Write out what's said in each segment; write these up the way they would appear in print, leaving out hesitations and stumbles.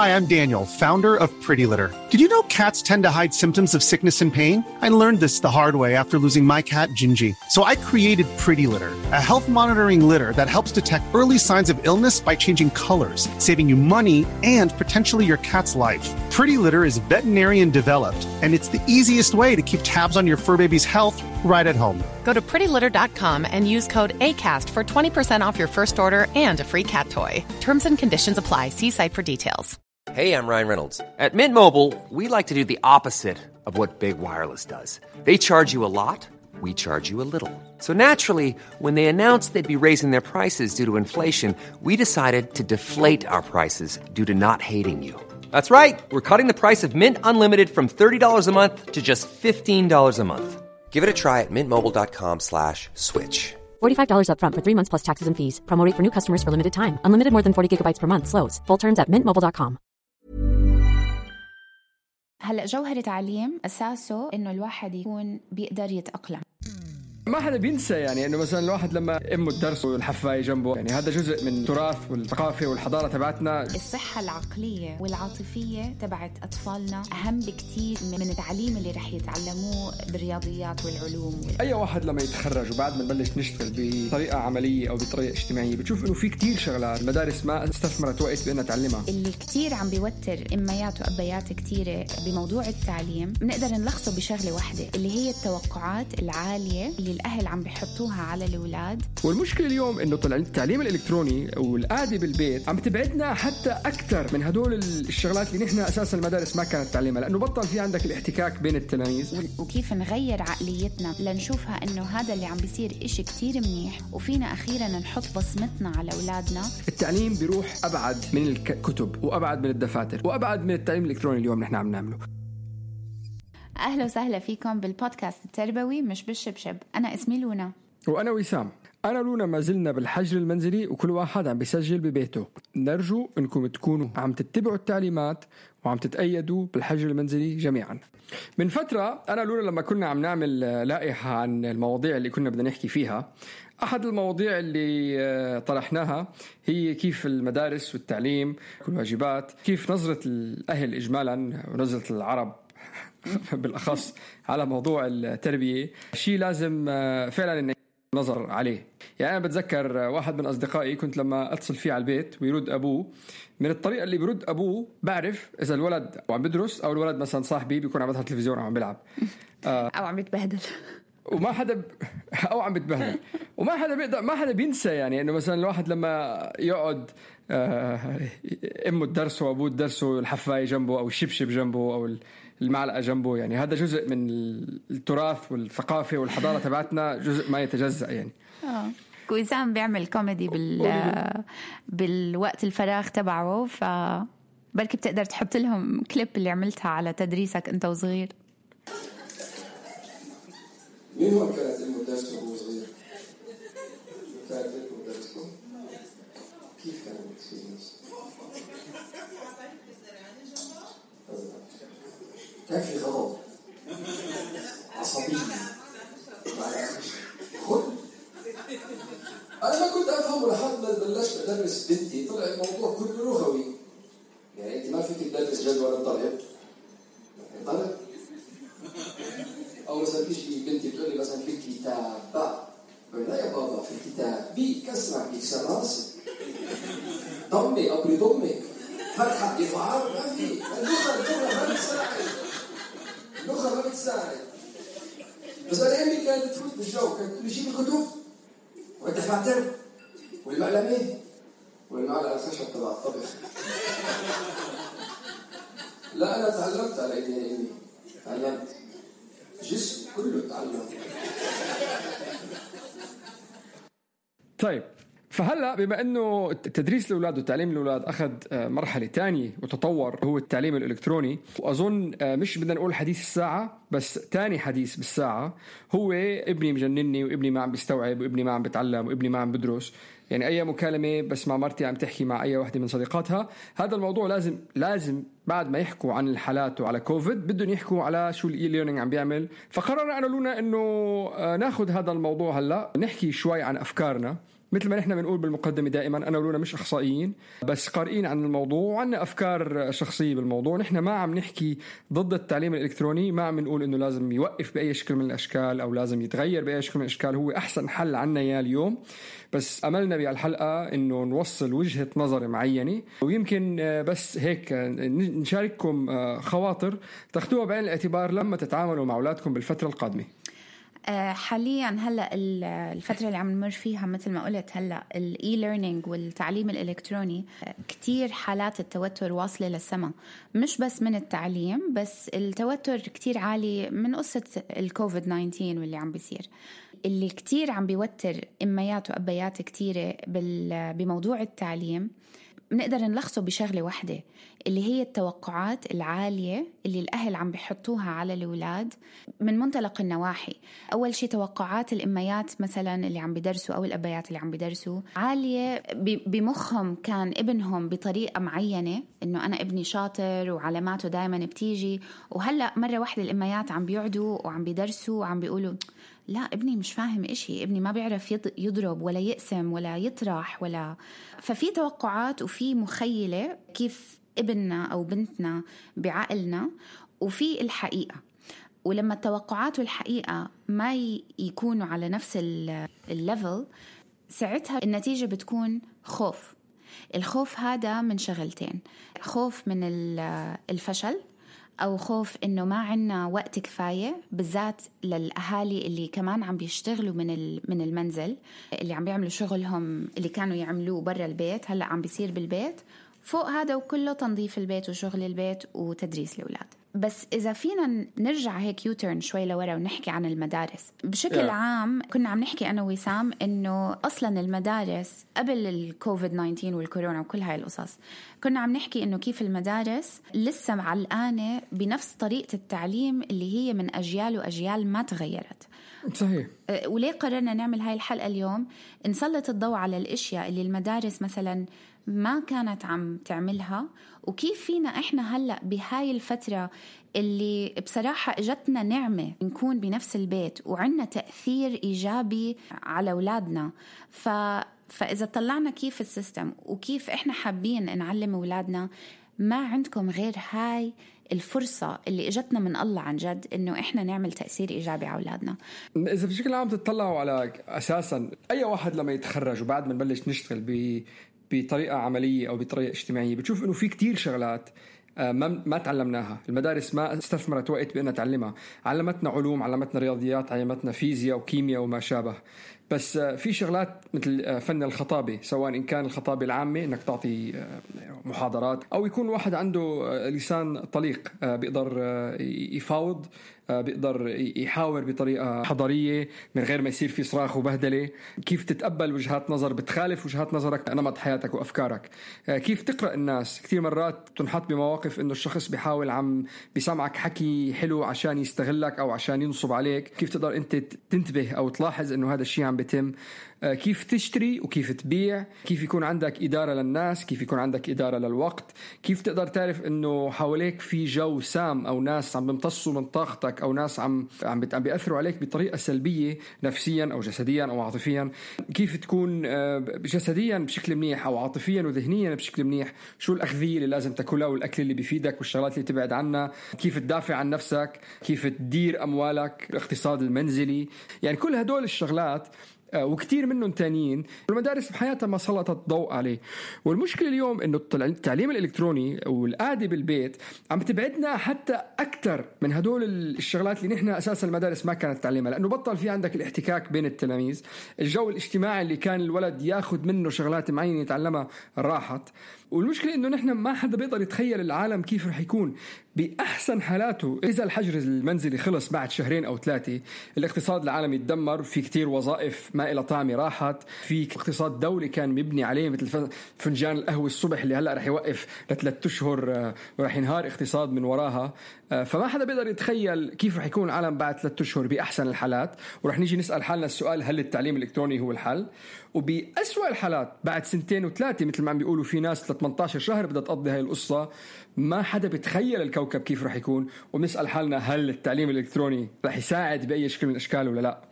Hi, I'm Daniel, founder of Pretty Litter. Did you know cats tend to hide symptoms of sickness and pain? I learned this the hard way after losing my cat, Gingy. So I created Pretty Litter, a health monitoring litter that helps detect early signs of illness by changing colors, saving you money and potentially your cat's life. Pretty Litter is veterinarian developed, and it's the easiest way to keep tabs on your fur baby's health right at home. Go to prettylitter.com and use code ACAST for 20% off your first order and a free cat toy. Terms and conditions apply. See site for details. Hey, I'm Ryan Reynolds. At Mint Mobile, we like to do the opposite of what Big Wireless does. They charge you a lot, we charge you a little. So naturally, when they announced they'd be raising their prices due to inflation, we decided to deflate our prices due to not hating you. That's right. We're cutting the price of Mint Unlimited from $30 a month to just $15 a month. Give it a try at mintmobile.com/switch. $45 up front for 3 months plus taxes and fees. Promo rate for new customers for limited time. Unlimited more than 40 gigabytes per month. Slows full terms at mintmobile.com. هلأ جوهر تعليم أساسه إنه الواحد يكون بيقدر يتأقلم. ما حدا بينسى يعني انه مثلا الواحد لما امه الدرس والحفاية جنبه، يعني هذا جزء من التراث والثقافة والحضارة تبعتنا. الصحة العقلية والعاطفية تبعت أطفالنا أهم بكتير من التعليم اللي رح يتعلموه بالرياضيات والعلوم. أي واحد لما يتخرج وبعد ما نبلش نشتغل بطريقة عملية أو بطريقة اجتماعية بتشوف إنه في كتير شغلات المدارس ما استثمرت وقت بأنها تعلمها. اللي كتير عم بيوتر إميات وأبيات كتيرة بموضوع التعليم بنقدر نلخصه بشغلة واحدة اللي هي التوقعات العالية اللي الأهل عم بيحطوها على الأولاد. والمشكلة اليوم إنه طلع التعليم الإلكتروني والقعدة بالبيت عم تبعدنا حتى أكتر من هدول الشغلات اللي نحن أساسا المدارس ما كانت تعلمها، لأنه بطل في عندك الاحتكاك بين التلاميذ. وكيف نغير عقليتنا لنشوفها إنه هذا اللي عم بيصير إشي كتير منيح، وفينا أخيرا نحط بصمتنا على أولادنا. التعليم بيروح أبعد من الكتب وأبعد من الدفاتر وأبعد من التعليم الإلكتروني اليوم نحن عم نعمله. أهلا وسهلا فيكم بالبودكاست التربوي مش بالشبشب. أنا اسمي لونا وأنا وسام. أنا لونا ما زلنا بالحجر المنزلي وكل واحد عم بيسجل ببيته. نرجو أنكم تكونوا عم تتبعوا التعليمات وعم تتأيدوا بالحجر المنزلي جميعا. من فترة أنا لونا لما كنا عم نعمل لائحة عن المواضيع اللي كنا بدنا نحكي فيها، أحد المواضيع اللي طرحناها هي كيف المدارس والتعليم والواجبات، كيف نظرة الأهل إجمالا ونظرة العرب بالأخص على موضوع التربية، شيء لازم فعلا نظر عليه. يعني أنا بتذكر واحد من أصدقائي كنت لما أتصل فيه على البيت ويرد أبوه، من الطريقة اللي بيرد أبوه بعرف إذا الولد عم بدرس أو الولد مثلا صاحبي بيكون عم يظهر تلفزيون أو عم بيلعب أو عم يتبهدل وما حدا أو عم بيتبهدل وما حدا بيقدر، ما حدا بينسى يعني إنه مثلا الواحد لما يقعد أمه الدرس وأبوه الدرس والحفاية جنبه أو الشبشب جنبه أو المعلقة جنبه، يعني هذا جزء من التراث والثقافة والحضارة تبعتنا، جزء ما يتجزأ يعني. وسام بيعمل كوميدي بالوقت الفراغ تبعه، فبركي بتقدر تحط لهم كليب اللي عملتها على تدريسك أنت وصغير. مين هو كانت المدرس وهو صغير؟ كانت المدرس كيف كانت المدرس؟ كان في غضب عصبية خد. أنا ما كنت أفهمه لحد ما بلشت أدرس بنتي، طلع الموضوع كله لغوي. يعني أنت ما فيك تدرس جدول الضرب ضرب، أو مثلا تيجي بنتي تقول لي مثلا في الكتاب باء، لا يا بابا في الكتاب بي كسرة بيكسر راسي، ضمي أبري ضمي فتحة إفعال، ما في. اللغة ما بتساعد، اللغة ما بتساعد. بس أنا أمي كانت تفوت بالجو، كانت تقول لي جيب الكتب والدفاتر والمقلمة والمعلقة الخشب تبع الطبخ. لا أنا تعلمت على إيدي أمي، تعلمت جسم كله تعلم. طيب فهلأ بما أنه تدريس الأولاد وتعليم الأولاد أخذ مرحلة تانية وتطور، هو التعليم الإلكتروني، وأظن مش بدنا نقول حديث الساعة بس تاني حديث بالساعة، هو ابني مجنني وابني ما عم بيستوعب وابني ما عم بتعلم وابني ما عم بدرس. يعني أي مكالمة بس مع مرتي عم تحكي مع أي واحدة من صديقاتها، هذا الموضوع لازم بعد ما يحكوا عن الحالات وعلى كوفيد بدهم يحكوا على شو الإي ليرنينج عم بيعمل. فقررنا أنا لونا إنه ناخد هذا الموضوع هلأ نحكي شوي عن أفكارنا مثل ما نحن بنقول بالمقدمة دائما، أنا ولونا مش أخصائيين بس قارئين عن الموضوع وعنا أفكار شخصية بالموضوع. نحن ما عم نحكي ضد التعليم الإلكتروني، ما عم نقول إنه لازم يوقف بأي شكل من الأشكال أو لازم يتغير بأي شكل من الأشكال، هو أحسن حل عنا يا اليوم. بس أملنا بهالحلقة إنه نوصل وجهة نظر معينة، ويمكن بس هيك نشارككم خواطر تاخدوها بعين الاعتبار لما تتعاملوا مع أولادكم بالفترة القادمة. حاليا هلا الفتره اللي عم نمر فيها مثل ما قلت هلا الاي ليرنينج والتعليم الالكتروني، كتير حالات التوتر واصله للسما، مش بس من التعليم، بس التوتر كتير عالي من قصه الكوفيد 19 واللي عم بيصير، اللي كتير عم بيوتر اميات وابيات كتيره بموضوع التعليم. بنقدر نلخصه بشغلة واحدة، اللي هي التوقعات العالية اللي الأهل عم بيحطوها على الأولاد من منطلق النواحي. أول شيء توقعات الأميات مثلا اللي عم بيدرسوا أو الأبيات اللي عم بيدرسوا عالية بمخهم، كان ابنهم بطريقة معينة، إنه أنا ابني شاطر وعلاماته دايما بتيجي، وهلأ مرة واحدة الأميات عم بيقعدوا وعم بيدرسوا وعم بيقولوا لا ابني مش فاهم إشي، ابني ما بيعرف يضرب ولا يقسم ولا يطرح ولا. ففي توقعات وفي مخيلة كيف ابننا أو بنتنا بعقلنا، وفي الحقيقة. ولما التوقعات والحقيقة ما يكونوا على نفس الليفل، ساعتها النتيجة بتكون خوف. الخوف هذا من شغلتين، خوف من الفشل، أو خوف إنه ما عنا وقت كفاية، بالذات للأهالي اللي كمان عم بيشتغلوا من المنزل، اللي عم بيعملوا شغلهم اللي كانوا يعملوه برا البيت هلأ عم بيصير بالبيت. فوق هذا وكله تنظيف البيت وشغل البيت وتدريس الأولاد. بس إذا فينا نرجع هيك يوترن شوي لورا ونحكي عن المدارس بشكل عام، كنا عم نحكي أنا وسام إنه أصلا المدارس قبل الكوفيد 19 والكورونا وكل هاي القصص، كنا عم نحكي إنه كيف المدارس لسه معلقانة بنفس طريقة التعليم اللي هي من أجيال وأجيال ما تغيرت. صحيح. وليه قررنا نعمل هاي الحلقة اليوم؟ نسلط الضوء على الاشياء اللي المدارس مثلا ما كانت عم تعملها، وكيف فينا احنا هلأ بهاي الفترة اللي بصراحة اجتنا نعمة نكون بنفس البيت وعنا تأثير ايجابي على اولادنا. فاذا طلعنا كيف السيستم وكيف احنا حابين نعلم اولادنا، ما عندكم غير هاي الفرصة اللي اجتنا من الله عن جد إنه إحنا نعمل تأثير إيجابي على أولادنا. إذا بشكل عام تطلعوا على أساسا أي واحد لما يتخرج وبعد ما نبلش نشتغل بطريقة عملية أو بطريقة اجتماعية، بتشوف إنه في كتير شغلات ما تعلمناها. المدارس ما استثمرت وقت بأنها تعلمها، علمتنا علوم، علمتنا رياضيات، علمتنا فيزياء وكيمياء وما شابه. بس في شغلات مثل فن الخطابة، سواء إن كان الخطابة العامة إنك تعطي محاضرات، أو يكون واحد عنده لسان طليق بيقدر يفاوض، بيقدر يحاور بطريقة حضارية من غير ما يصير في صراخ وبهدلة، كيف تتقبل وجهات نظر بتخالف وجهات نظرك، نمط حياتك وأفكارك، كيف تقرأ الناس. كثير مرات تنحط بمواقف إنه الشخص بيحاول عم بيسمعك حكي حلو عشان يستغلك أو عشان ينصب عليك، كيف تقدر أنت تنتبه أو تلاحظ إنه هذا الشيء عم بيتم، كيف تشتري وكيف تبيع، كيف يكون عندك إدارة للناس، كيف يكون عندك إدارة للوقت، كيف تقدر تعرف إنه حواليك في جو سام أو ناس عم بيمتصوا من طاقتك أو ناس عم بيأثروا عليك بطريقة سلبية نفسيا أو جسديا أو عاطفيا، كيف تكون جسديا بشكل منيح أو عاطفيا وذهنيا بشكل منيح، شو الأغذية اللي لازم تاكلها والأكل اللي بيفيدك والشغلات اللي تبعد عنها، كيف تدافع عن نفسك، كيف تدير أموالك، الاقتصاد المنزلي. يعني كل هدول الشغلات وكتير منهم تانيين المدارس بحياتها ما سلطت ضوء عليه. والمشكلة اليوم إنه التعليم الإلكتروني والقعدة بالبيت عم تبعدنا حتى أكتر من هدول الشغلات اللي نحن أساسا المدارس ما كانت تعلمها، لأنه بطل في عندك الاحتكاك بين التلاميذ، الجو الاجتماعي اللي كان الولد ياخد منه شغلات معينة يتعلمها راحت. والمشكلة إنه نحن ما حدا بيقدر يتخيل العالم كيف رح يكون بأحسن حالاته إذا الحجر المنزلي خلص بعد 2 أو 3. الاقتصاد العالمي يتدمر، في كتير وظائف ما إلى طعمة راحت، في اقتصاد دولي كان مبني عليه مثل فنجان القهوة الصبح اللي هلأ رح يوقف ل3 أشهر ورح ينهار اقتصاد من وراها. فما حدا بيقدر يتخيل كيف رح يكون العالم بعد 3 أشهر بأحسن الحالات، ورح نيجي نسأل حالنا السؤال هل التعليم الإلكتروني هو الحل؟ وبأسوأ الحالات بعد 2 و3 مثل ما عم بيقولوا في ناس 18 شهر بدها تقضي هاي القصة، ما حدا بيتخيل الكوكب كيف رح يكون، ونسأل حالنا هل التعليم الإلكتروني رح يساعد بأي شكل من الأشكال ولا لا.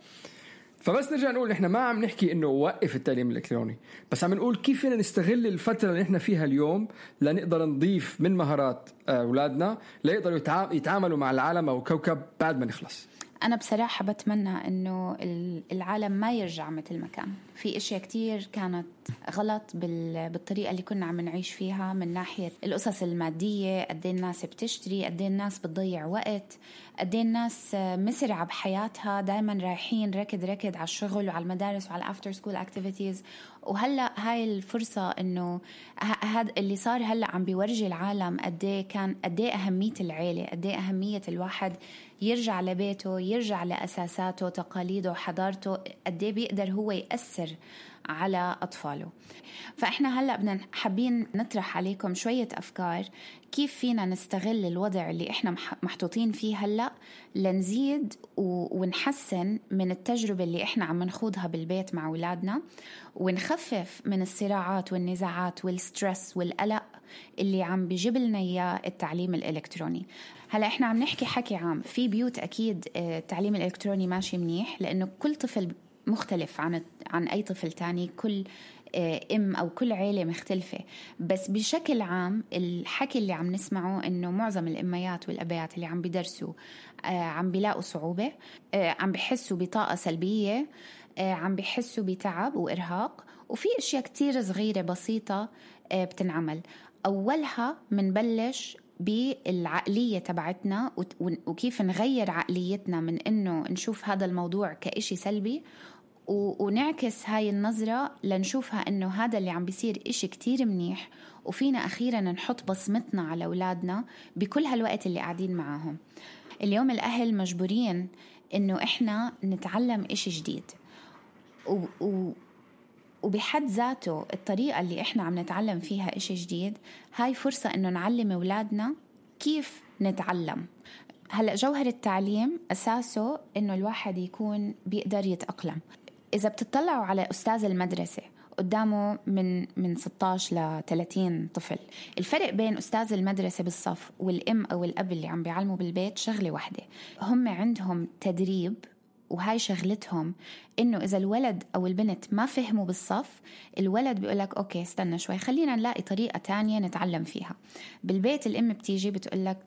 فبس نرجع نقول إحنا ما عم نحكي إنه وقف التعليم الإلكتروني، بس عم نقول كيف فينا نستغل الفترة اللي إحنا فيها اليوم لنقدر نضيف من مهارات أولادنا ليقدروا يتعاملوا مع العالم أو كوكب بعد ما نخلص. أنا بصراحة بتمنى إنه العالم ما يرجع مثل ما كان. في أشياء كتير كانت غلط بالطريقة اللي كنا عم نعيش فيها، من ناحية القصص المادية، قد ايه الناس بتشتري، قد ايه الناس بتضيع وقت، قد ايه الناس مسرعة بحياتها، دايما رايحين ركض على الشغل وعلى المدارس وعلى الافter school activities. وهلأ هاي الفرصة إنه هذا اللي صار هلأ عم بيورجي العالم قد ايه أهمية العيلة، قد ايه أهمية الواحد يرجع لبيته، يرجع لأساساته، تقاليده، حضارته، قد ايه بيقدر هو يأثر على أطفاله. فإحنا هلأ بدنا حابين نطرح عليكم شوية أفكار كيف فينا نستغل الوضع اللي إحنا محطوطين فيه هلأ لنزيد ونحسن من التجربة اللي إحنا عم نخوضها بالبيت مع أولادنا، ونخفف من الصراعات والنزاعات والسترس والقلق اللي عم بيجيب لنا إياه التعليم الإلكتروني. هلأ إحنا عم نحكي حكي عام، في بيوت أكيد التعليم الإلكتروني ماشي منيح، لأنه كل طفل مختلف عن أي طفل تاني، كل أو كل عيلة مختلفة. بس بشكل عام الحكي اللي عم نسمعه إنه معظم الأميات والأبيات اللي عم بيدرسوا عم بيلاقوا صعوبة، عم بيحسوا بطاقة سلبية، عم بيحسوا بتعب وإرهاق، وفي أشياء كتير صغيرة بسيطة بتنعمل. أولها منبلش بالعقلية تبعتنا وكيف نغير عقليتنا من إنه نشوف هذا الموضوع كإشي سلبي، ونعكس هاي النظرة لنشوفها إنه هذا اللي عم بيصير إشي كتير منيح، وفينا أخيرا نحط بصمتنا على أولادنا بكل هالوقت اللي قاعدين معاهم. اليوم الأهل مجبورين إنه إحنا نتعلم إشي جديد، وبحد ذاته الطريقة اللي إحنا عم نتعلم فيها إشي جديد هاي فرصة إنه نعلم أولادنا كيف نتعلم. هلأ جوهر التعليم أساسه إنه الواحد يكون بيقدر يتأقلم. إذا بتطلعوا على أستاذ المدرسة قدامه من 16 ل 30 طفل، الفرق بين أستاذ المدرسة بالصف والأم أو الأب اللي عم بيعلموا بالبيت شغلة واحدة، هم عندهم تدريب، وهاي شغلتهم إنه إذا الولد أو البنت ما فهموا بالصف، الولد بيقولك أوكي استنى شوي، خلينا نلاقي طريقة تانية نتعلم فيها. بالبيت الأم بتيجي بتقولك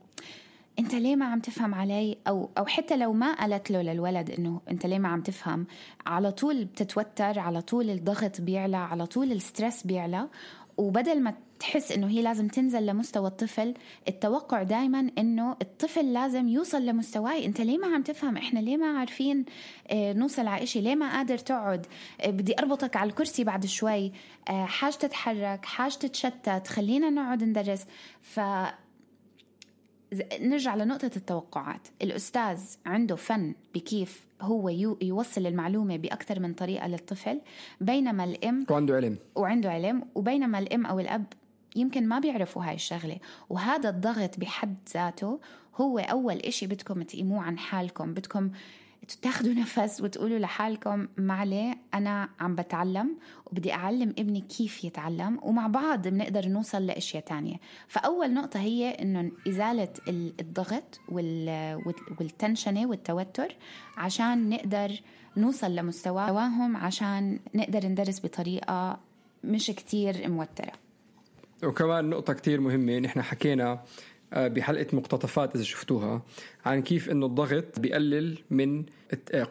أنت ليه ما عم تفهم علي، أو حتى لو ما قالت له للولد إنه أنت ليه ما عم تفهم، على طول بتتوتر، على طول الضغط بيعلى، على طول السترس بيعلى. وبدل ما تحس إنه هي لازم تنزل لمستوى الطفل، التوقع دايما إنه الطفل لازم يوصل لمستواي. أنت ليه ما عم تفهم، إحنا ليه ما عارفين نوصل على إشي، ليه ما قادر تقعد، بدي أربطك على الكرسي بعد شوي، حاجة تتحرك، حاجة تتشتت، خلينا نقعد ندرس. نرجع لنقطة التوقعات. الأستاذ عنده فن بكيف هو يوصل المعلومة بأكثر من طريقة للطفل، بينما الأم وعنده علم، وبينما الأم أو الأب يمكن ما بيعرفوا هاي الشغلة. وهذا الضغط بحد ذاته هو أول إشي بدكم تقيموه عن حالكم. بدكم تاخدوا نفس وتقولوا لحالكم معلي أنا عم بتعلم وبدي أعلم ابني كيف يتعلم، ومع بعض بنقدر نوصل لأشياء تانية. فأول نقطة هي إنه إزالة الضغط والتنشنة والتوتر عشان نقدر نوصل لمستواهم، عشان نقدر ندرس بطريقة مش كتير موترة. وكمان نقطة كتير مهمة، نحن حكينا بحلقة مقتطفات إذا شفتوها عن كيف إنه الضغط بيقلل من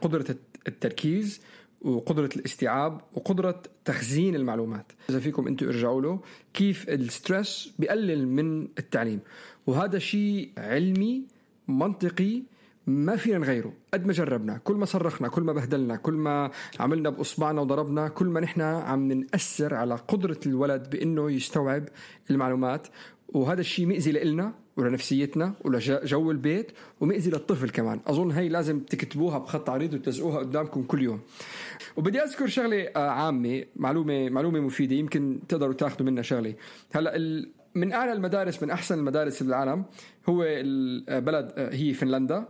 قدرة التركيز وقدرة الاستيعاب وقدرة تخزين المعلومات. إذا فيكم أنتوا ارجعوا له كيف السترس بيقلل من التعليم، وهذا شيء علمي منطقي ما فينا نغيره. قد ما جربنا، كل ما صرخنا، كل ما بهدلنا، كل ما عملنا بأصبعنا وضربنا، كل ما نحن عم نأثر على قدرة الولد بأنه يستوعب المعلومات. وهذا الشيء مئزي لإلنا ولنفسيتنا ولجو البيت، ومئزي للطفل كمان. أظن هاي لازم تكتبوها بخط عريض وتلزقوها قدامكم كل يوم. وبدي أذكر شغلة عامة، معلومة مفيدة يمكن تقدروا تاخدوا منها شغلة. هلأ من أعلى المدارس، من أحسن المدارس بالعالم هو البلد هي فنلندا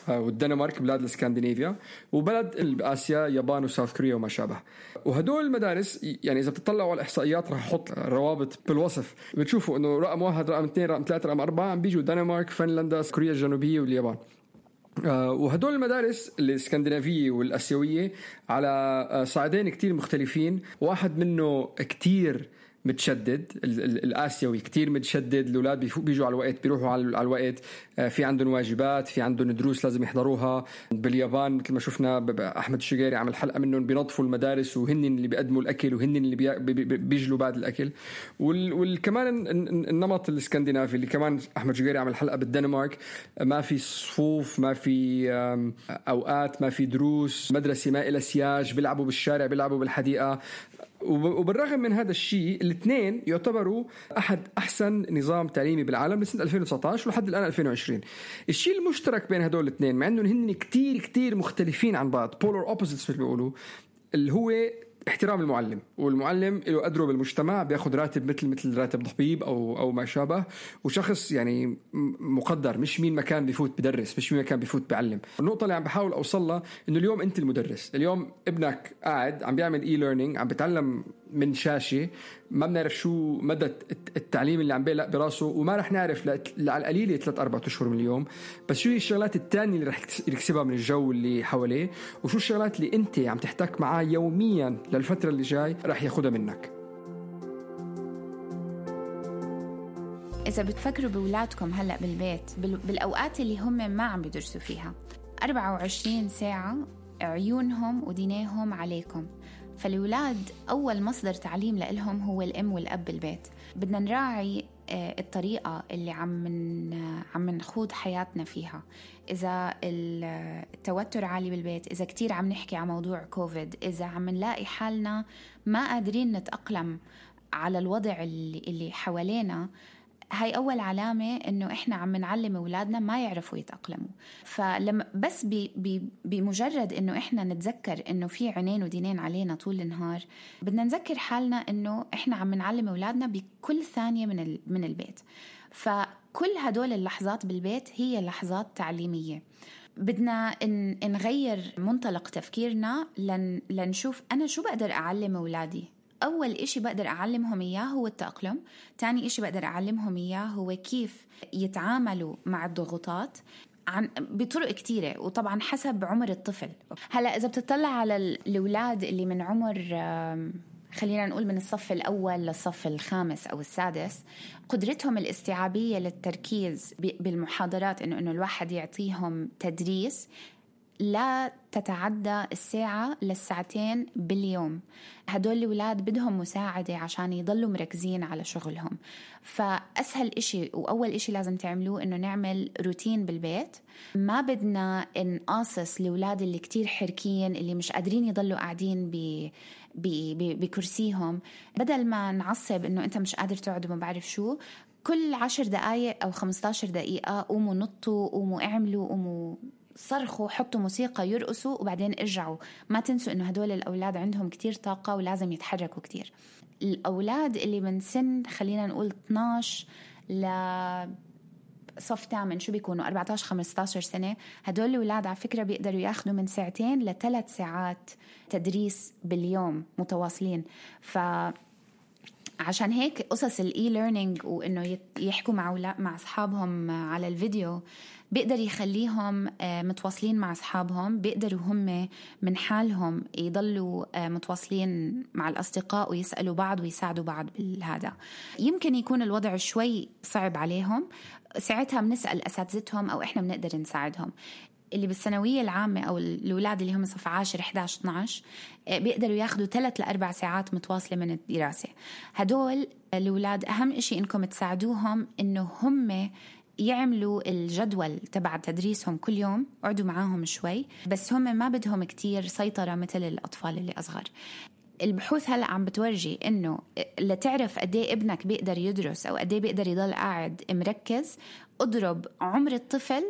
والدنمارك، بلاد الاسكندنافيا، وبلد بآسيا يابان وساوث كوريا وما شابه. وهدول المدارس يعني إذا بتطلعوا على الإحصائيات راح أحط روابط بالوصف، بتشوفوا إنه رقم 1 رقم 2 رقم 3 رقم 4 عم بيجوا دنمارك، فنلندا، كوريا الجنوبية واليابان. وهدول المدارس الاسكندنافية والآسيوية على صعيدين كتير مختلفين. واحد منه كتير متشدد، الآسيوي كتير متشدد، الأولاد بيجوا على الوقت، بيروحوا على الوقت، في عندهم واجبات، في عندهم دروس لازم يحضروها. باليابان مثل ما شفنا أحمد الشقيري عمل حلقة منهم بينظفوا المدارس وهن اللي بيقدموا الأكل وهن اللي بيجلوا بعد الأكل. والكمان النمط الاسكندنافي اللي كمان أحمد الشقيري عمل حلقة بالدنمارك، ما في صفوف، ما في أوقات، ما في دروس، مدرسة ما إلى سياج، بيلعبوا بالشارع، بيلعبوا بالحديقة. وبالرغم من هذا الشيء الاثنين يعتبروا أحد أحسن نظام تعليمي بالعالم لسنة 2019 ولحد الآن 2020. الشيء المشترك بين هدول الاثنين مع أنهم هن كتير مختلفين عن بعض، polar opposites مثل ما بيقولوا، اللي هو احترام المعلم. والمعلم له قدره بالمجتمع، بياخد راتب مثل راتب طبيب أو ما شابه، وشخص يعني مقدر، مش مين مكان بيفوت بدرس، مش مين مكان بيفوت بعلم. النقطة اللي عم بحاول أوصلها إنه اليوم أنت المدرس، اليوم ابنك قاعد عم بيعمل e-learning، عم بيتعلم من شاشة، ما بنعرف شو مدى التعليم اللي عم بيلق براسه، وما رح نعرف على القليلة 3-4 أشهر من اليوم. بس شو هي الشغلات التانية اللي رح يكسبها من الجو اللي حواليه، وشو الشغلات اللي أنت عم تحتك معاه يوميا للفترة اللي جاي رح ياخدها منك. إذا بتفكروا بولادكم هلأ بالبيت بالأوقات اللي هم ما عم بيدرسوا فيها 24 ساعة عيونهم ودينيهم عليكم، فالولاد أول مصدر تعليم لهم هو الأم والأب بالبيت. بدنا نراعي الطريقة اللي عم نخوض حياتنا فيها. إذا التوتر عالي بالبيت، إذا كتير عم نحكي عن موضوع كوفيد، إذا عم نلاقي حالنا ما قادرين نتأقلم على الوضع اللي حوالينا، هاي أول علامة إنه إحنا عم نعلم أولادنا ما يعرفوا يتأقلموا. فلما بس بمجرد إنه إحنا نتذكر إنه في عينين ودينين علينا طول النهار، بدنا نذكر حالنا إنه إحنا عم نعلم أولادنا بكل ثانية من البيت. فكل هدول اللحظات بالبيت هي لحظات تعليمية. بدنا نغير منطلق تفكيرنا لنشوف أنا شو بقدر أعلم أولادي. أول إشي بقدر أعلمهم إياه هو التأقلم، تاني إشي بقدر أعلمهم إياه هو كيف يتعاملوا مع الضغوطات بطرق كتيرة، وطبعا حسب عمر الطفل. هلأ إذا بتطلع على الأولاد اللي من عمر خلينا نقول من الصف الأول للصف الخامس أو السادس، قدرتهم الاستيعابية للتركيز بالمحاضرات إنه الواحد يعطيهم تدريس لا تتعدى الساعة للساعتين باليوم. هدول الأولاد بدهم مساعدة عشان يضلوا مركزين على شغلهم. فأسهل إشي وأول إشي لازم تعملوه إنه نعمل روتين بالبيت. ما بدنا نقاصص الأولاد اللي كتير حركين، اللي مش قادرين يضلوا قاعدين بكرسيهم. بدل ما نعصب إنه أنت مش قادر تقعد وما بعرف شو، كل 10 دقايق أو 15 دقيقة قوموا نطوا، قوموا اعملوا، قوموا صرخوا، حطوا موسيقى يرقصوا، وبعدين ارجعوا. ما تنسوا إنه هدول الأولاد عندهم كتير طاقة ولازم يتحركوا كتير. الأولاد اللي من سن خلينا نقول 12 لصف 8 شو بيكونوا 14-15 سنة، هدول الأولاد على فكرة بيقدروا ياخدوا من 2 ل3 ساعات تدريس باليوم متواصلين. عشان هيك قصص الإي-ليرنينج وإنه يحكوا مع أصحابهم على الفيديو بيقدر يخليهم متواصلين مع أصحابهم، بيقدروا هم من حالهم يضلوا متواصلين مع الأصدقاء ويسألوا بعض ويساعدوا بعض بالهذا. يمكن يكون الوضع شوي صعب عليهم، ساعتها بنسأل أساتذتهم أو إحنا بنقدر نساعدهم. اللي بالثانوية العامة أو الأولاد اللي هم صف 10 11 12 بيقدروا ياخدوا 3 ل4 ساعات متواصلة من الدراسة. هدول الأولاد أهم إشي إنكم تساعدوهم إنه هم يعملوا الجدول تبع تدريسهم كل يوم، قعدوا معاهم شوي، بس هم ما بدهم كتير سيطرة مثل الأطفال اللي أصغر. البحوث هلأ عم بتورجي إنه لتعرف قديه ابنك بيقدر يدرس أو قديه بيقدر يضل قاعد مركز، اضرب عمر الطفل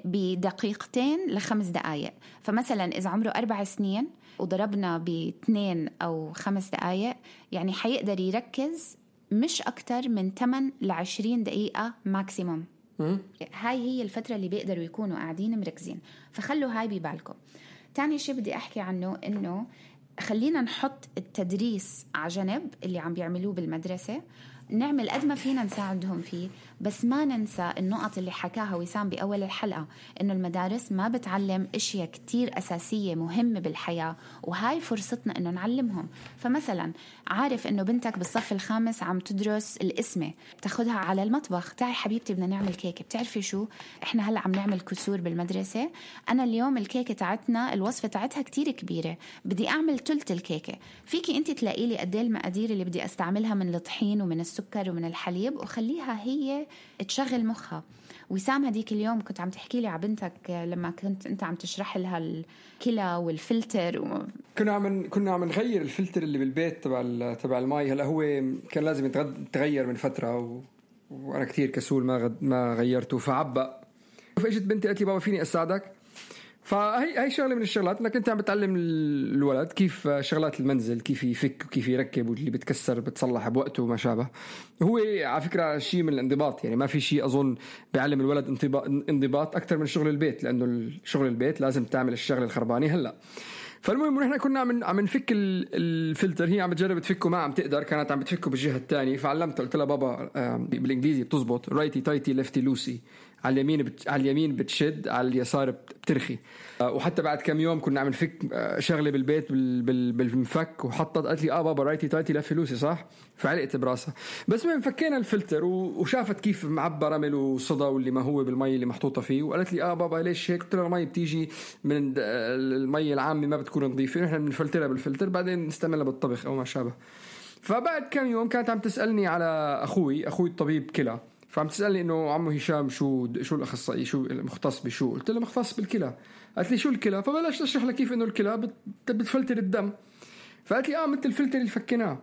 بدقيقتين ل5 دقايق. فمثلا إذا عمره 4 سنين وضربنا ب2 أو 5 دقايق، يعني حيقدر يركز مش أكتر من 8 ل 20 دقيقة ماكسيموم. هاي هي الفترة اللي بيقدروا يكونوا قاعدين مركزين. فخلوا هاي ببالكم. تاني شيء بدي أحكي عنه إنه خلينا نحط التدريس على جنب اللي عم بيعملوه بالمدرسة، نعمل قد ما فينا نساعدهم فيه، بس ما ننسى النقط اللي حكاها وسام بأول الحلقة، إنه المدارس ما بتعلم إشياء كتير أساسية مهمة بالحياة، وهاي فرصتنا إنه نعلمهم. فمثلا عارف إنه بنتك بالصف الخامس عم تدرس الاسمة، بتاخدها على المطبخ، تعي حبيبتي بدنا نعمل كيكة. بتعرفي شو إحنا هلأ عم نعمل كسور بالمدرسة، أنا اليوم الكيكة تاعتنا الوصفة تاعتها كتير كبيرة، بدي أعمل تلت الكيكة، فيكي أنت تلاقي لي قد ايه المقادير اللي بدي أستعملها من الطحين ومن السكر ومن الحليب، وخليها هي تشغل مخها. وسام هديك اليوم كنت عم تحكي لي على بنتك لما كنت أنت عم تشرح لها الكلى والفلتر كنا عم نغير الفلتر اللي بالبيت تبع الماء. هلا هو كان لازم يتغير من فترة وأنا كتير كسول ما غيرته فعبأ. فاجت بنتي قالت لي بابا فيني أساعدك؟ فهي شغله من الشغلات انك انت عم بتعلم الولد كيف شغلات المنزل، كيف يفك وكيف يركب، واللي بتكسر بتصلح بوقته وما شابه. هو على فكره شيء من الانضباط، يعني ما في شيء اظن بيعلم الولد انضباط اكثر من شغل البيت، لانه شغل البيت لازم تعمل الشغله الخربانه. هلا فالمهم نحن كنا عم نفك الفلتر، هي عم تجرب تفكه ما عم تقدر، كانت عم بتفكه بالجهه الثانيه. فعلمتها قلت لها بابا بالانجليزي بتزبط رايتي تايتي ليفتي لوسي، على اليمين بتشد، على اليسار بترخي. وحتى بعد كم يوم كنا عم نفك شغله بالبيت بالمفك، وحطت قالت لي بابا رايتي تايتي ليفتي لوسي صح، فعلقت براسها. بس ما فكينا الفلتر وشافت كيف معبى رمل وصدى واللي ما هو بالمي اللي محطوطه فيه، وقالت لي بابا ليش هيك؟ قلت لها المي بتيجي من المي العامه ما بتكون نظيفه، نحن بنفلترها بالفلتر بعدين نستعملها بالطبخ او ما شابه. فبعد كم يوم كانت عم تسالني على اخوي الطبيب كلى، فعم تسألني إنه عمو هشام شو الأخصائي، شو المختص بشو؟ قلت له مختص بالكلى. قالت لي شو الكلى؟ فبلاش أشرح لك كيف إنه الكلى بتفلتر الدم. فقالت لي مثل الفلتر اللي فكناه.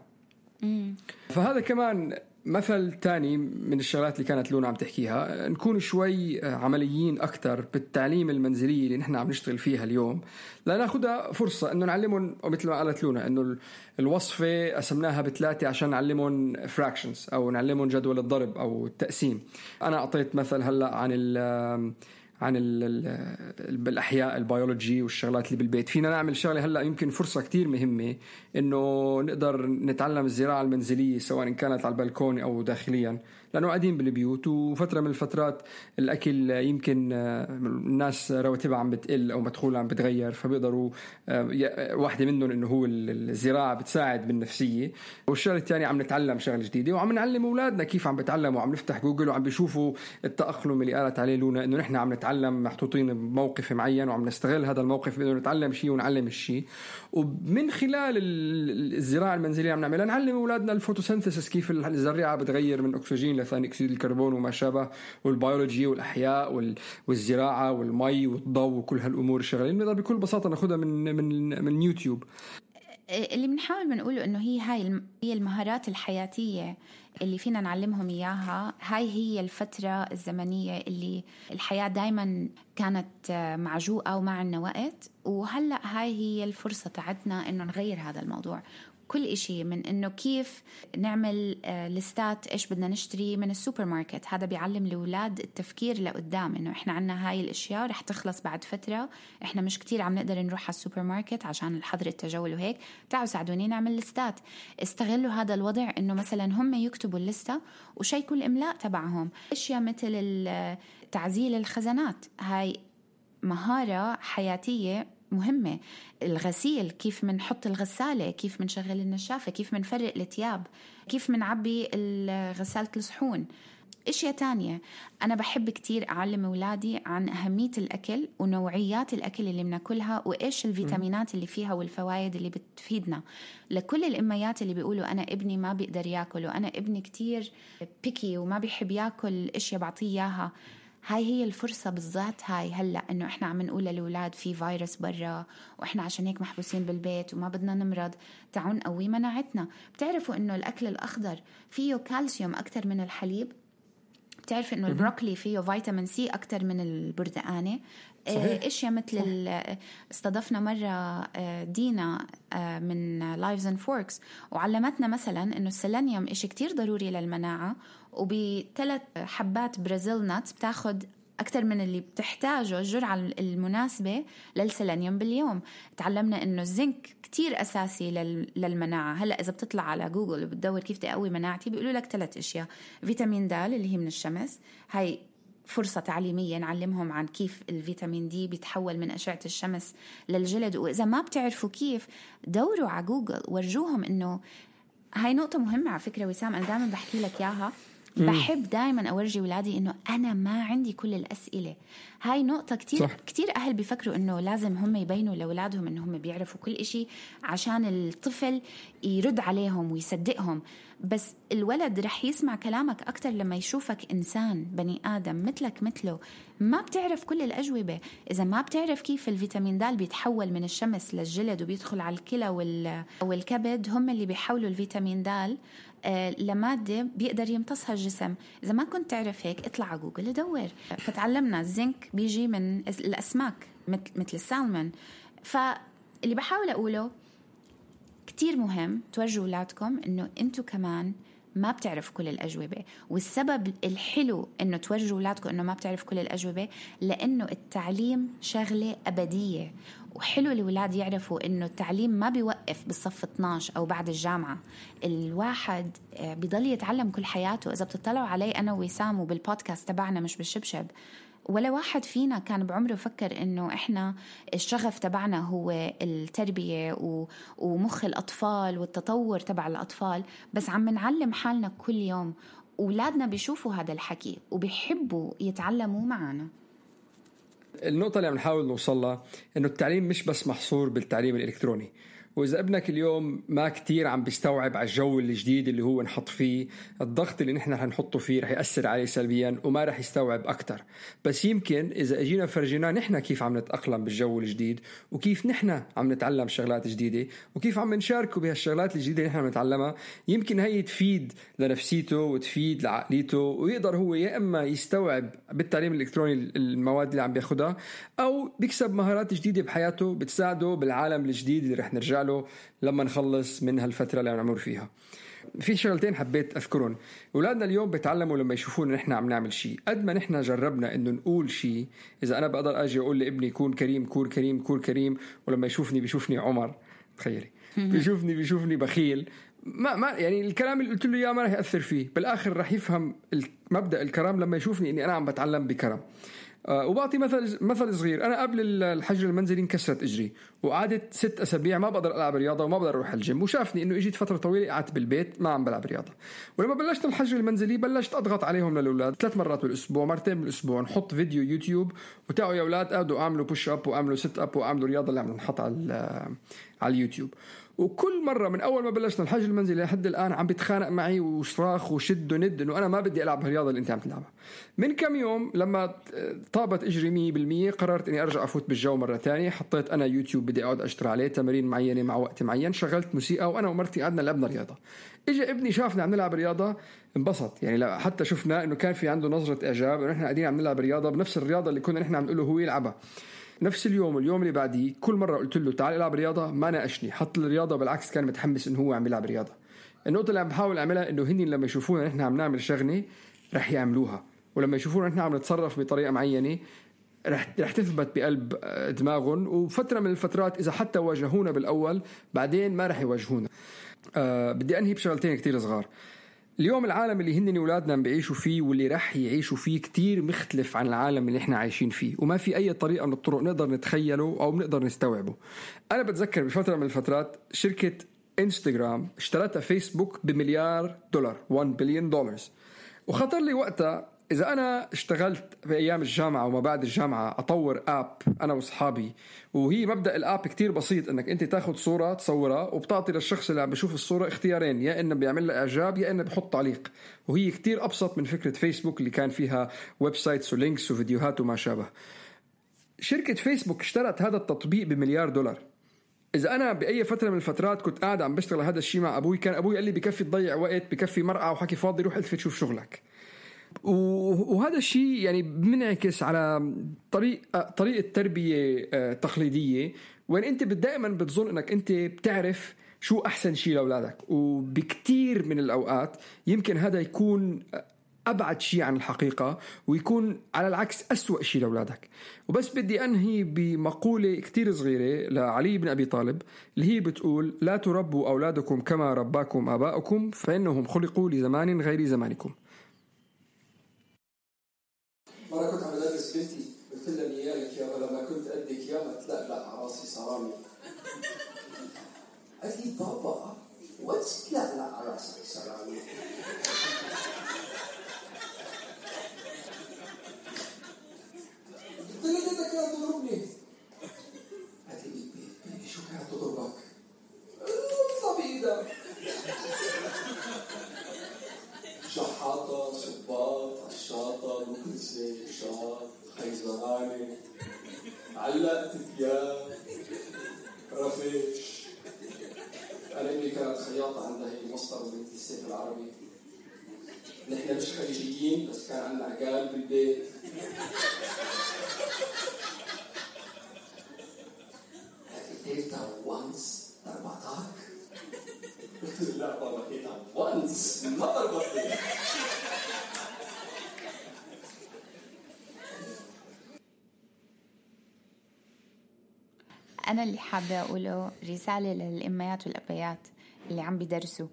فهذا كمان مثل تاني من الشغلات اللي كانت لونا عم تحكيها، نكون شوي عمليين أكتر بالتعليم المنزلي اللي نحن عم نشتغل فيها اليوم، لناخدها فرصة إنه نعلمهم. ومثل ما قالت لونا إنه الوصفة قسمناها ب3 عشان نعلمهم fractions أو نعلمهم جدول الضرب أو التقسيم. أنا أعطيت مثل هلأ عن الأحياء البيولوجي والشغلات اللي بالبيت. فينا نعمل شغلة هلأ يمكن فرصة كتير مهمة إنه نقدر نتعلم الزراعة المنزلية سواء كانت على البلكون أو داخليا، لأنه قاعدين بالبيوت وفترة من الفترات الأكل يمكن الناس رواتبها عم بتقل أو مدخولها عم بتغير، فبيقدروا واحدة منهم إنه هو الزراعة بتساعد بالنفسية. والشغلة الثانية عم نتعلم شغلة جديدة وعم نعلم أولادنا كيف عم بتعلموا، وعم نفتح جوجل وعم بيشوفوا التأقلم اللي قالت عليه لونا، إنه نحن عم نتعلم محطوطين بموقف معين وعم نستغل هذا الموقف إنه نتعلم شيء ونعلم الشيء. ومن خلال الزراعة المنزلية عم نعملها نعلم أولادنا الفوتوسينثيسيس، كيف الزراعة بتغير من أكسجين لثاني أكسيد الكربون وما شابه، والبيولوجي والأحياء والزراعة والمي والضوء وكل هالأمور الشغلين نقدر بكل بساطة ناخدها من يوتيوب. اللي بنحاول بنقوله إنه هي المهارات الحياتية اللي فينا نعلمهم إياها. هي الفترة الزمنية اللي الحياة دايما كانت معجوقة وما عنا وقت، وهلأ هي الفرصة تاعتنا إنه نغير هذا الموضوع. كل إشي من إنه كيف نعمل لستات إيش بدنا نشتري من السوبر ماركت، هذا بيعلم الأولاد التفكير لقدام، إنه إحنا عنا هاي الأشياء رح تخلص بعد فترة، إحنا مش كتير عم نقدر نروح على السوبر ماركت عشان الحظر التجول وهيك، تعالوا ساعدوني نعمل لستات. استغلوا هذا الوضع إنه مثلا هم يكتبوا اللستة وشيكوا الإملاء تبعهم. أشياء مثل تعزيل الخزانات، هاي مهارة حياتية مهمة. الغسيل، كيف منحط الغسالة، كيف منشغل النشافة، كيف منفرق الثياب، كيف منعبي غسالة الصحون. اشياء تانية انا بحب كتير اعلم اولادي عن اهمية الاكل ونوعيات الاكل اللي بناكلها وايش الفيتامينات اللي فيها والفوائد اللي بتفيدنا. لكل الاميات اللي بيقولوا انا ابني ما بيقدر ياكل وانا ابني كتير بيكي وما بيحب ياكل اشياء بعطيه اياها، هاي الفرصة بالذات. هلأ إنه إحنا عم نقول للأولاد في فيروس برا وإحنا عشان هيك محبوسين بالبيت وما بدنا نمرض، تعون قوي مناعتنا. بتعرفوا إنه الأكل الأخضر فيه كالسيوم أكتر من الحليب؟ بتعرف إنه البروكلي فيه فيتامين سي أكتر من البردقانة؟ إشياء مثل استضفنا مرة دينا من Lives and Forks وعلمتنا مثلا إنه السيلينيوم إشي كتير ضروري للمناعة، وب3 حبات برازيل نات بتاخد أكتر من اللي بتحتاجه الجرعة المناسبة للسيلينيوم باليوم. تعلمنا إنه الزنك كتير أساسي للمناعة. هلأ إذا بتطلع على جوجل وبتدور كيف تقوي مناعتي بيقولوا لك 3 أشياء: فيتامين د اللي هي من الشمس، هاي فرصة تعليمية نعلمهم عن كيف الفيتامين دي بيتحول من أشعة الشمس للجلد. وإذا ما بتعرفوا كيف دوروا على جوجل ورجوهم إنه هاي نقطة مهمة. على فكرة وسام أنا دائما بحكي لك إياها، بحب دائما أورجي ولادي إنه أنا ما عندي كل الأسئلة. هاي نقطة كتير أهل بيفكروا إنه لازم هم يبينوا لأولادهم إنه هم بيعرفوا كل إشي عشان الطفل يرد عليهم ويصدقهم. بس الولد رح يسمع كلامك أكتر لما يشوفك إنسان بني آدم مثلك مثله. ما بتعرف كل الأجوبة. إذا ما بتعرف كيف الفيتامين د بيتحول من الشمس للجلد وبيدخل على الكلى والكبد، هم اللي بيحولوا الفيتامين د لمادة بيقدر يمتصها الجسم. إذا ما كنت تعرف هيك اطلع على جوجل دور. فتعلمنا الزنك بيجي من الأسماك مثل السالمون. فاللي بحاول أقوله كتير مهم تورجوا أولادكم إنه أنتوا كمان ما بتعرف كل الأجوبة. والسبب الحلو إنه تورجوا أولادكم إنه ما بتعرف كل الأجوبة لأنه التعليم شغلة أبدية. وحلو الأولاد يعرفوا إنه التعليم ما بيوقف بالصف 12 أو بعد الجامعة. الواحد بيضل يتعلم كل حياته. إذا بتطلعوا علي أنا ووسام وبالبودكاست تبعنا مش بالشبشب، ولا واحد فينا كان بعمره فكر إنه إحنا الشغف تبعنا هو التربية ومخ الأطفال والتطور تبع الأطفال. بس عم نعلم حالنا كل يوم. أولادنا بيشوفوا هذا الحكي وبيحبوا يتعلموا معنا. النقطة اللي عم نحاول نوصلها إنه التعليم مش بس محصور بالتعليم الإلكتروني. وإذا ابنك اليوم ما كتير عم بيستوعب على الجو الجديد اللي هو نحط فيه، الضغط اللي نحن هنحطه فيه رح يأثر عليه سلبيا وما رح يستوعب أكتر. بس يمكن إذا أجينا فرجينا نحن كيف عم نتأقلم بالجو الجديد وكيف نحن عم نتعلم شغلات جديدة وكيف عم نشاركه بهالشغلات الجديدة اللي نحن نتعلمها، يمكن هي تفيد لنفسيته وتفيد لعقليته، ويقدر هو يا إما يستوعب بالتعليم الإلكتروني المواد اللي عم بياخدها، أو بيكسب مهارات جديدة بحياته بتساعده بالعالم الجديد اللي رح نرجع له لما نخلص من هالفترة اللي عم نمر فيها. في شغلتين حبيت أذكرهم. أولادنا اليوم بيتعلموا لما يشوفونا نحن عم نعمل شيء. قد ما نحن جربنا إنه نقول شيء، إذا أنا بقدر أجي أقول لابني كون كريم كون كريم كون كريم، ولما يشوفني بيشوفني عمر، تخيلي بيشوفني بخيل، ما يعني الكلام اللي قلت له إياه ما رح يأثر فيه. بالآخر رح يفهم مبدأ الكرم لما يشوفني إني أنا عم بتعلم بكرم. وبعطي مثل صغير. أنا قبل الحجر المنزلي انكسرت إجري وقعدت 6 أسابيع ما بقدر ألعب رياضة وما بقدر أروح الجيم، وشافني إنه إجيت فترة طويلة قعدت بالبيت ما عم بلعب رياضة. ولما بلشت الحجر المنزلي بلشت أضغط عليهم للأولاد 3 مرات بالأسبوع، 2 مرات بالأسبوع، نحط فيديو يوتيوب وتعوا يا أولاد قعدوا أعملوا بوش أب وأعملوا سيت أب وأعملوا رياضة اللي عم نحط على اليوتيوب. وكل مرة من أول ما بلشنا الحجر المنزلي لحد الآن عم بيتخانق معي وصراخ وشد وند إنه أنا ما بدي ألعب هالرياضة اللي أنت عم تلعبها. من كم يوم لما طابت إجري 100% قررت إني أرجع أفوت بالجو مرة تانية. حطيت أنا يوتيوب بدي أقعد أشتري عليه تمارين معينة مع وقت معين، شغلت موسيقى وأنا ومرتي قعدنا لعبنا رياضة. إجا ابني شافنا عم نلعب رياضة انبسط، يعني حتى شفنا إنه كان في عنده نظرة إعجاب إنه إحنا قاعدين عم نلعب رياضة بنفس الرياضة اللي كنا إحنا عم نقوله هو يلعبها. نفس اليوم اللي بعديه كل مرة قلت له تعال العب رياضة ما ناقشني، حط الرياضة، بالعكس كان متحمس إنه هو عم يلعب رياضة. النقطة اللي عم بحاول أعملها إنه هني لما يشوفونا نحن عم نعمل شغلة رح يعملوها، ولما يشوفونا نحن عم نتصرف بطريقة معينة رح تثبت بقلب دماغهم. وفترة من الفترات إذا حتى واجهونا بالأول بعدين ما رح يواجهونا. بدي أنهي بشغلتين كتير صغار. اليوم العالم اللي هنني ولادنا عم بيعيشوا فيه واللي رح يعيشوا فيه كتير مختلف عن العالم اللي احنا عايشين فيه، وما في أي طريقة من الطرق نقدر نتخيله أو نقدر نستوعبه. أنا بتذكر بفترة من الفترات شركة إنستغرام اشترتها فيسبوك $1 مليار، $1 بليون. وخطر لي وقتها إذا أنا اشتغلت في أيام الجامعة وما بعد الجامعة أطور آب أنا وصحابي، وهي مبدأ الآب كتير بسيط، إنك أنت تاخد صورة تصورها وبتعطي للشخص اللي عم بيشوف الصورة اختيارين، يا إنه بيعمل له إعجاب يا إنه بيحط تعليق. وهي كتير أبسط من فكرة فيسبوك اللي كان فيها ويب سايتس ولينكس وفيديوهات وما شابه. شركة فيسبوك اشترت هذا التطبيق $1 مليار. إذا أنا بأي فترة من الفترات كنت قاعد عم بشتغل هذا الشيء مع أبوي، كان أبوي قال لي بكفي تضيع وقت، بكفي مرقع وحكي فاضي، روح التفت شوف شغلك. وهذا الشيء يعني بنعكس على طريقة تربية تقليدية، وين أنت دائما بتظن أنك أنت بتعرف شو أحسن شيء لأولادك. وبكتير من الأوقات يمكن هذا يكون أبعد شيء عن الحقيقة، ويكون على العكس أسوأ شيء لأولادك. وبس بدي أنهي بمقولة كتير صغيرة لعلي بن أبي طالب اللي هي بتقول: لا تربوا أولادكم كما رباكم آباؤكم فإنهم خلقوا لزمان غير زمانكم. مرة كنت عم بدرس بنتي، قلت لها نيالك يابا لما كنت قدك يابا تلقلق على راسي صرامي. قالت لي: بابا واتس تلقلق على راسك صرامي؟ قلت لها: جدك كانت تضربني. قالت لي: بيبي شو كانت تضربك؟ اطلع بإيدك. شحاطة، صباط، عشاطة، مكنسة، شاط، خيزرانة، علقت ثياب، رفش. أنا أمي كانت خياطة، عندها هي مصدر وبنتي السيف العربي. نحن مش خليجيين بس كان عندنا عقال بالبيت. تيتا وانس ضربتك؟ قلت لا بابا تيتا وانس ما ضربتني. أنا اللي حابة أقوله رسالة للأميات والأبيات اللي عم بيدرسوا: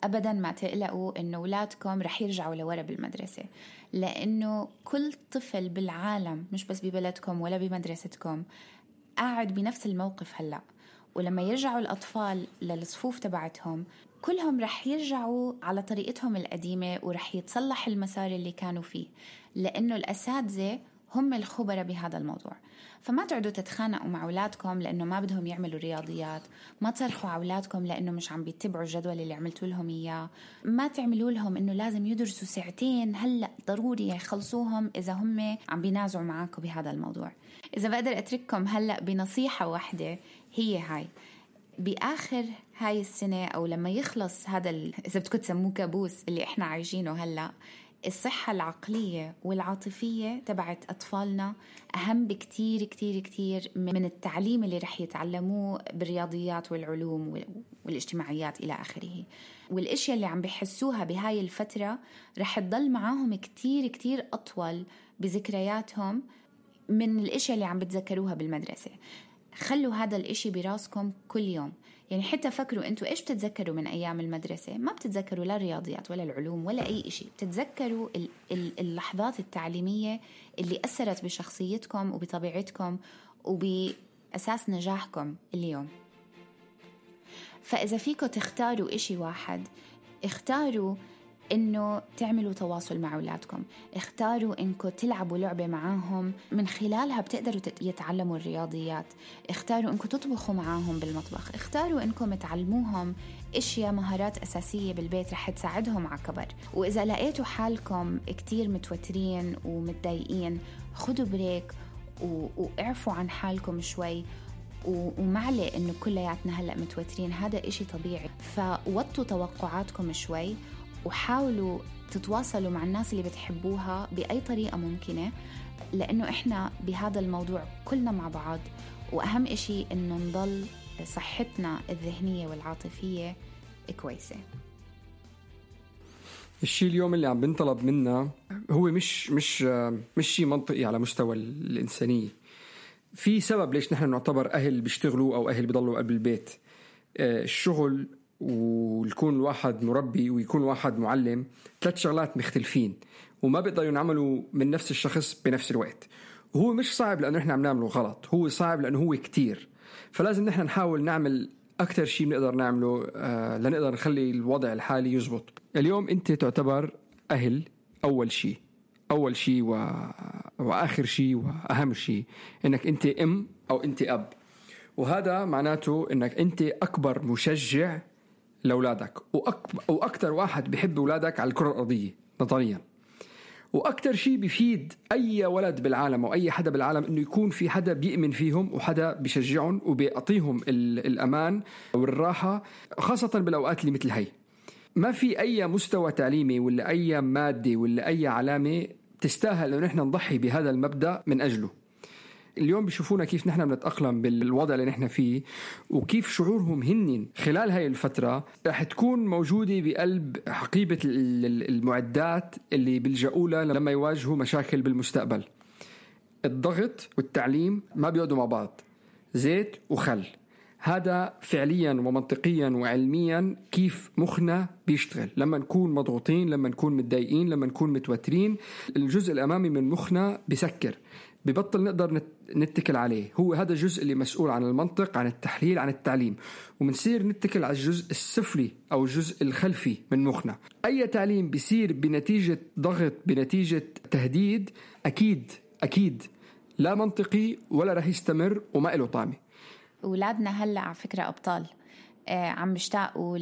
أبداً ما تقلقوا إنه أولادكم رح يرجعوا لورا بالمدرسة، لأنه كل طفل بالعالم مش بس ببلدكم ولا بمدرستكم قاعد بنفس الموقف هلأ. ولما يرجعوا الأطفال للصفوف تبعتهم كلهم رح يرجعوا على طريقتهم القديمة ورح يتصلح المسار اللي كانوا فيه، لأنه الأساتذة هم الخبراء بهذا الموضوع. فما تقعدوا تتخانقوا مع أولادكم لأنه ما بدهم يعملوا رياضيات، ما تصرخوا على أولادكم لأنه مش عم بيتبعوا الجدول اللي عملتوا لهم إياه، ما تعملوا لهم إنه لازم يدرسوا ساعتين هلأ ضروري يخلصوهم إذا هم عم بينازعوا معاكم بهذا الموضوع. إذا بقدر أترككم هلأ بنصيحة واحدة هي هاي: بآخر هاي السنة أو لما يخلص هذا إذا بدكم تسموه كابوس اللي إحنا عايشينه هلأ، الصحة العقلية والعاطفية تبعت أطفالنا أهم بكتير كتير كتير من التعليم اللي رح يتعلموه بالرياضيات والعلوم والاجتماعيات إلى آخره. والأشياء اللي عم بيحسوها بهاي الفترة رح تضل معاهم كتير كتير أطول بذكرياتهم من الأشياء اللي عم بتذكروها بالمدرسة. خلوا هذا الاشي براسكم كل يوم. يعني حتى فكروا انتوا ايش بتتذكروا من ايام المدرسة. ما بتتذكروا لا الرياضيات ولا العلوم ولا اي اشي، بتتذكروا اللحظات التعليمية اللي اثرت بشخصيتكم وبطبيعتكم وبأساس نجاحكم اليوم. فاذا فيكم تختاروا اشي واحد، اختاروا إنه تعملوا تواصل مع أولادكم، اختاروا إنكم تلعبوا لعبة معاهم من خلالها بتقدروا يتعلموا الرياضيات، اختاروا إنكم تطبخوا معاهم بالمطبخ، اختاروا إنكم تعلموهم إشياء مهارات أساسية بالبيت رح تساعدهم على كبر. وإذا لقيتوا حالكم كتير متوترين ومتضايقين، خدوا بريك واعفوا عن حالكم شوي، ومعلي إنه كلياتنا هلأ متوترين، هذا إشي طبيعي. فوطوا توقعاتكم شوي وحاولوا تتواصلوا مع الناس اللي بتحبوها بأي طريقة ممكنة، لأنه إحنا بهذا الموضوع كلنا مع بعض. وأهم إشي إنه نضل صحتنا الذهنية والعاطفية كويسة. الشيء اليوم اللي عم بنطلب منا هو مش شيء منطقي على مستوى الإنسانية. في سبب ليش نحن نعتبر أهل بيشتغلوا أو أهل بيضلوا قبل البيت. الشغل ويكون واحد مربي ويكون واحد معلم 3 شغلات مختلفين، وما بيقدروا ينعملوا من نفس الشخص بنفس الوقت. وهو مش صعب لأنه إحنا عم نعمله غلط، هو صعب لأنه هو كتير. فلازم نحن نحاول نعمل أكتر شيء بنقدر نعمله لنقدر نخلي الوضع الحالي يزبط. اليوم أنت تعتبر أهل أول شيء وآخر شيء وأهم شيء إنك أنت أم أو أنت أب. وهذا معناته إنك أنت أكبر مشجع لأولادك وأكتر واحد بيحب أولادك على الكرة الأرضية نظريا. وأكتر شيء بيفيد أي ولد بالعالم أو أي حدا بالعالم إنه يكون في حدا بيؤمن فيهم وحدا بيشجعهم وبيعطيهم الأمان والراحة، خاصة بالأوقات اللي مثل هاي. ما في أي مستوى تعليمي ولا أي مادة ولا أي علامة تستاهل أن نحن نضحي بهذا المبدأ من أجله. اليوم بيشوفونا كيف نحن بنتأقلم بالوضع اللي نحن فيه، وكيف شعورهم هنن خلال هاي الفترة رح تكون موجودة بقلب حقيبة المعدات اللي بيلجأوا لها لما يواجهوا مشاكل بالمستقبل. الضغط والتعليم ما بيقعدوا مع بعض، زيت وخل. هذا فعليا ومنطقيا وعلميا كيف مخنا بيشتغل لما نكون مضغوطين، لما نكون متضايقين، لما نكون متوترين. الجزء الأمامي من مخنا بيسكر، ببطل نقدر نتكل عليه. هو هذا الجزء اللي مسؤول عن المنطق، عن التحليل، عن التعليم، ومنصير نتكل على الجزء السفلي أو الجزء الخلفي من مخنا. أي تعليم بيصير بنتيجة ضغط، بنتيجة تهديد، أكيد لا منطقي ولا رح يستمر وما له طعمه. أولادنا هلأ على فكرة أبطال، عم بيشتاقوا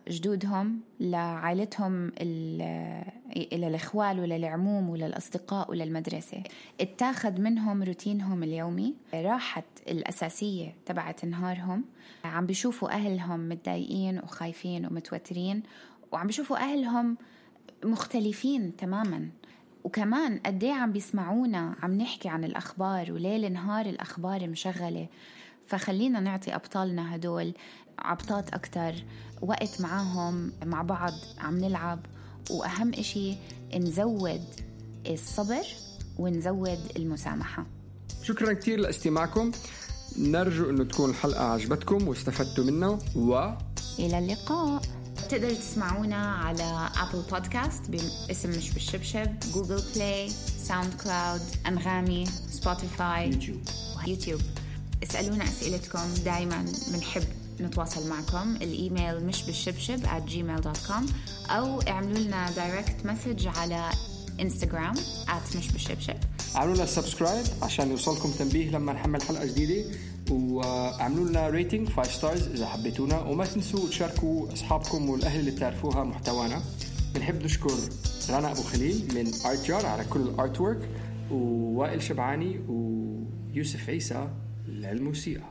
لجدودهم، لعائلتهم، إلى الإخوال وللعموم وللأصدقاء وللمدرسة. اتاخد منهم روتينهم اليومي، راحت الأساسية تبعت نهارهم. عم بيشوفوا أهلهم متضايقين وخايفين ومتوترين، وعم بيشوفوا أهلهم مختلفين تماماً. وكمان قديه عم بيسمعونا عم نحكي عن الأخبار، وليل نهار الأخبار مشغلة. فخلينا نعطي أبطالنا هدول عبطات أكتر، وقت معاهم مع بعض عم نلعب، وأهم إشي نزود الصبر ونزود المسامحة. شكرا كتير لاستماعكم، نرجو أنه تكون الحلقة عجبتكم واستفدتوا منها، إلى اللقاء. تقدروا تسمعونا على أبل بودكاست باسم مش بالشبشب، جوجل بلاي، ساوند كلاود، أنغامي، سبوتيفاي، يوتيوب. اسألونا أسئلتكم، دايما بنحب نتواصل معكم. الإيميل مش بالشبشب @gmail.com، أو اعملوا لنا دايركت مسج على إنستغرام @مش بالشبشب. اعملوا لنا سبسكرايب عشان يوصلكم تنبيه لما نحمل حلقة جديدة، واعملوا لنا ريتنج 5 ستارز إذا حبيتونا، وما تنسوا تشاركوا أصحابكم والأهل اللي بتعرفوها محتوانا. بنحب نشكر رنا أبو خليل من ArtJar على كل الارت وورك، ووائل شبعاني ويوسف عيسى للموسيقى.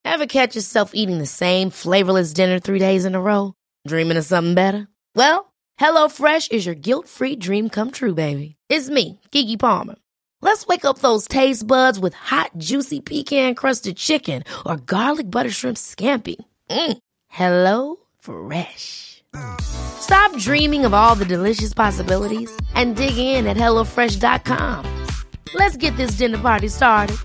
Ever catch yourself eating the same flavorless dinner 3 days in a row? Dreaming of something better? Well, HelloFresh is your guilt-free dream come true, baby. It's me, Keke Palmer. Let's wake up those taste buds with hot, juicy pecan-crusted chicken or garlic butter shrimp scampi. Hello Fresh. Stop dreaming of all the delicious possibilities and dig in at HelloFresh.com. Let's get this dinner party started.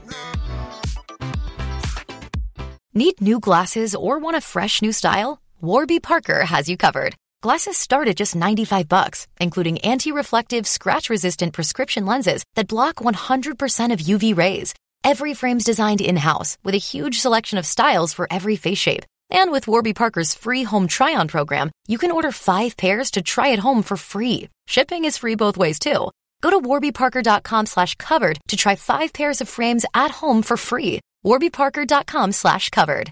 Need new glasses or want a fresh new style? Warby Parker has you covered. Glasses start at just $95, including anti-reflective, scratch-resistant prescription lenses that block 100% of UV rays. Every frame's designed in-house with a huge selection of styles for every face shape. And with Warby Parker's free home try-on program, you can order 5 pairs to try at home for free. Shipping is free both ways, too. Go to warbyparker.com/covered to try 5 pairs of frames at home for free. warbyparker.com/covered.